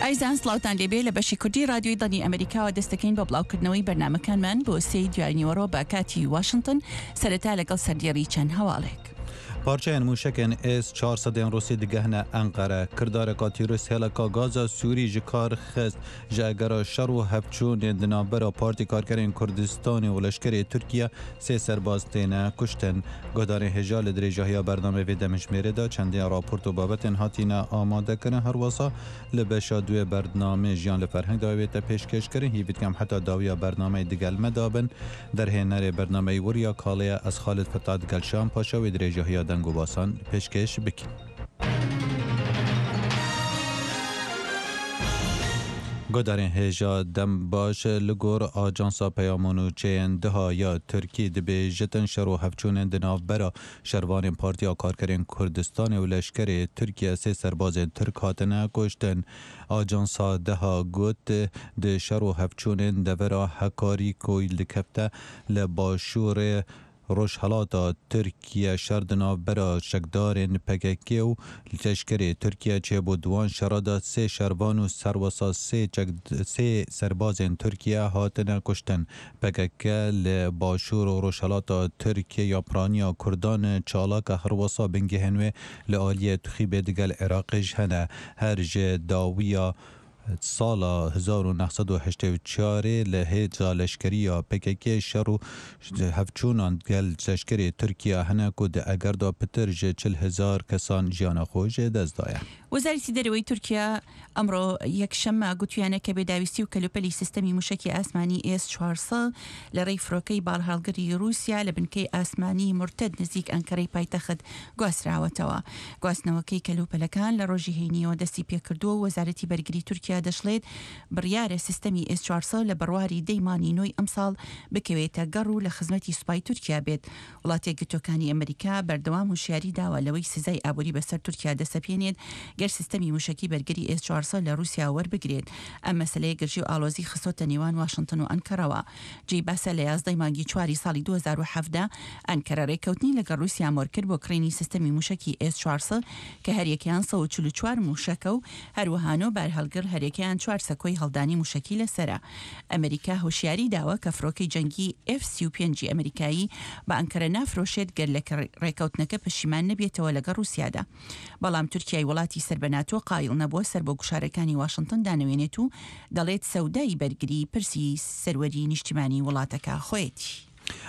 ئایزان سڵاوتان لێبێ لە بەشی کوردی رادیۆی دەنگی ئەمریکاوە دەست دەکەین بە بڵاوکردنەوەی بەرنامەکانمان بۆ سێی دوای نیوەڕۆ بە کاتی واشنتن سەرەتا لەگەڵ سەردێڕی چەند هەواڵێک. پارچەیên mûşekên S 400 ên Rûsî digehine Enqere. Kirdareka tîrorîst hêleka gaza Sûrî ji kar xist. Ji egera şer û hevçûnên di navbera Partî Karkerên Kurdistanê û leşkerê Tirkiye sê serbaz têne kuştin. Guhdarên hêja li dirêjahiya bernameyê vê demhijmêrê de çendên raport û babetên hatîne amadekirin her wisa li beşa duê bernameyê Jiyan li Ferheng de wê te pêşkêşkirin. Hîvî dikem heta dawiya bernameyê digel me de bin. Derhênerê bernameyê Wirya Kalê ye ez Xalid Fetah digel Şahan Paşa wê dirêjahiya deng û basan pêşkêş bikin. Guhdarên hêja dem baş li gor Ajansa Peyam û Nûçeyên Diha ya Tirkî dibêjitin şer û hevçûnên di navbera şervanên Partiya Karkerên Kurdistanê û leşkerê Tirkiye sê serbazên Tirk hatine kuştin. Ajansa Diha got di şer û hevçûnên devera Hekarî ku dikevte li başûrê Rojhilata Tirkiye şer di navbera çekdarên pkk û leşkerê Tirkiye çêbû. Di wan şera de sê şervan û serwesa sê çek sê serbazên Tirkiye hatine kuştin. Pkk li başûr û rojhilata Tirkiye ya piraniya Kurdan çalak e herwesa bingehên wê li aliyê Tuxîbê digel Iraqê jî hene. Her ji dawiya Sala 1984 ê li hêza leşkerî ya PKK'ê şer û hevçûnan gel leşkerê Tirkiye hene ku di eger de pitir ji 40 hezar kesan jiyana xwe ji dest daye. Wezareti Dereweyî Tirkiye ئەمڕۆ یەکشەممە گوتویانە کە بێداویستی و کەلوپەلی سیستەمی موشەکی ئاسمانی ئێس 400 لە ڕێی فرۆکەی باڵهەڵگری ڕووسیا لە بنکەی ئاسمانی مورتەد نزیک ئەنکەرەی پایتەخت گواستراوەتەوە. گواستنەوەکەی کەلوپەلەکان لە ڕۆژی هەینییەوە دەستی پێکردووە و وەزارەتی بەرگری تورکیا دەشڵێت، بڕیارە سیستەمی ئێس 400 لە بەرواری دەی مانگی نۆی ئەمساڵ بکەوێتە گەڕ و لە خزمەتی سوپای تورکیا بێت. وڵاتە یەکگرتووەکانی ئەمریکا بەردەوام هوشیاری داوە لەوەی سزای ئابووری بەسەر تورکیا دەسەپێنێت گەر سیستەمی موشەکی بەرگری ئێس 400 لە ڕووسیا وەربگرێت. ئەم مەسەلەیە گرژی و ئاڵۆزی خستۆتە نێوان واشنتن و ئەنکەرەوە. جێی باسە لە 11 ی مانگی چواری ساڵی 2017 ئەنکەرە رێککەوتنی لەگەڵ رووسیا مۆرکرد بۆ کڕینی سیستەمی مووشەکی ئێس 400 کە هەریەکەیان 144 مووشەکە و هەروەها نۆ بارهەڵگر هەریەکەیان چوار سەکۆی هەڵدانی مووشەکی لەسەرە. ئەمریکا هۆشیاری داوە کە فڕۆکەی جەنگی ئێف 35 ی ئەمریکایی بە ئەنکەرە نافرۆشێت گەر لە رێککەوتنەکە پەشیمان نەبێتەوە لەگەڵ رووسیادا. بەڵام تورکیای وڵاتی سەر بە ناتۆ قایڵ نەبووە سەر بۆ گوشارەکانی واشنتن دانەوێنێت و دەڵێت سەودای بەرگری پرسی سەروەری نیشتیمانی وڵاتەکە خۆیەتی.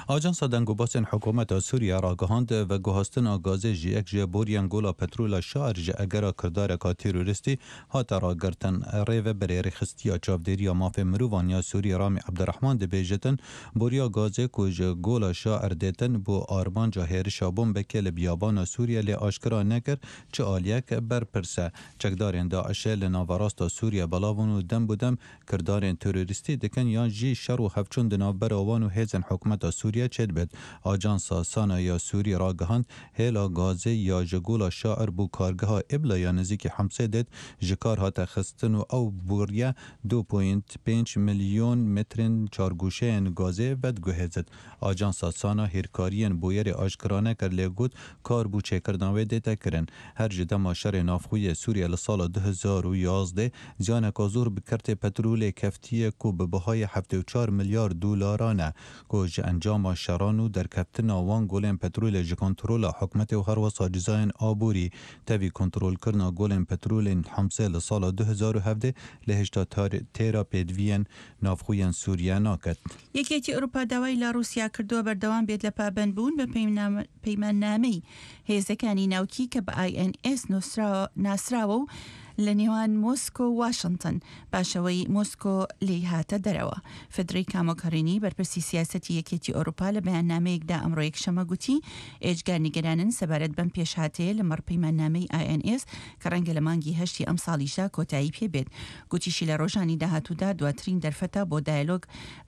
ئاژانسا دەنگوباسên hikûmeta Sûriye ragihand, veguhastina gazê ji yek ji boriyên gola petrola Şair ji egera kirdareka terorîstî hate ragirtin. Rêveberê Rêxistiya Çavdêriya Mafên Mirovan ya Sûrî Ramî Ebdurehman dibêjitin, Boriya gazê ku ji gola Şair dêtin bû armanca hêrişa bombekê li biyabana Sûriye lê aşkira nekir çi aliyek berpirs e. Çekdarên DAIŞ'ê li naverasta Sûriye belav bûn û dem bi dem Kirdarên terorîstî dikin yan jî şer û hevçûn di navbera wan û hêzên hikûmeta Sûriye çêdibit. Ajansa Sana ya Sûrî ragihand, hêla gazê ya ji Gola Şair bo kargeha Îbla ya nêzîkî Hemsê dêt ji kar hate xistin û ew bûriye 2.5 milyon metrên çargoşeyên gazê vediguhêzit. Ajansa Sana hîrkariyên bûyerê aşkira nekir lê got, kar bo çêkirina wê dête kirin. Her ji dema şerê navxwe yê Sûriye li sala 2011 ziyaneka zor bi kertê petrolê keftiye ku bi bihayê 74 milyar dolaran e ku ji encama şeran û derkeftina wan golên petrolê ji kontrola hikûmetê û herwisa cizayên aborî tevî kontrolkirina golên petrolên Humsê li sala 2017 lê hêjta têra pêdiviyên navxwe yên Sûriye naket. یەکێتی ئەوروپا داوای لە ڕووسیا کردووە بەردەوام بێت لە پابەندبوون بە پەیماننامەی هێزەکانی ناوکی کە بە INS ناسراوە و لە نێوان مۆسکۆ و واشنتن پاش ئەوەی مۆسکۆ لێی هاتە دەرەوە. فدریکا مۆگهرینی بەرپرسی سیاسەتی یەکێتی ئەوروپا لە بەیاننامەیەکدا ئەمڕۆ یەکشەممە گوتی ئێجگار نیگەرانن سەبارەت بەم پێشهاتەیە لەمەڕ پەیماننامەی INS کە ڕەنگە لە مانگی هەشتی ئەمساڵیشدا کۆتایی پێ بێت. گوتیشی لە ڕۆژانی داهاتوودا دواترین دەرفەتە بۆ دایەلۆگ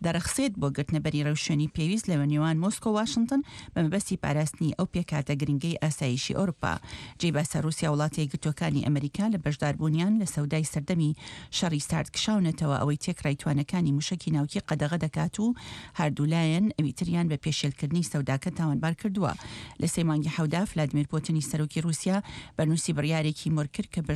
دەڕەخسێت بۆ گرتنەبەری ڕێوشوێنی پێویست لە نێوان مۆسکۆ و واشنتن بە مەبەستی پاراستنی ئەو پێکهاتە گرنگەی ئاسایشی ئەوروپا. جێی باسە ڕووسیا و وڵاتە یەکگرتووەکانی ئەمریکا لە بەشداربوونیان لە سەودای سەردەمی شەڕی سارد کشاونەتەوە ئەوەی تێکڕای توانەکانی موشەکی ناوکی قەدەغە دەکات و هەردوولایەن ئەویتریان بە پێشێلکردنی سەوداکە تاوانبار کردووە. لە سێ مانگی حەودا فلادیمیر پوتنی سەرۆکی ڕووسیا بەرنووسی بڕیارێکی مۆرکرد کە.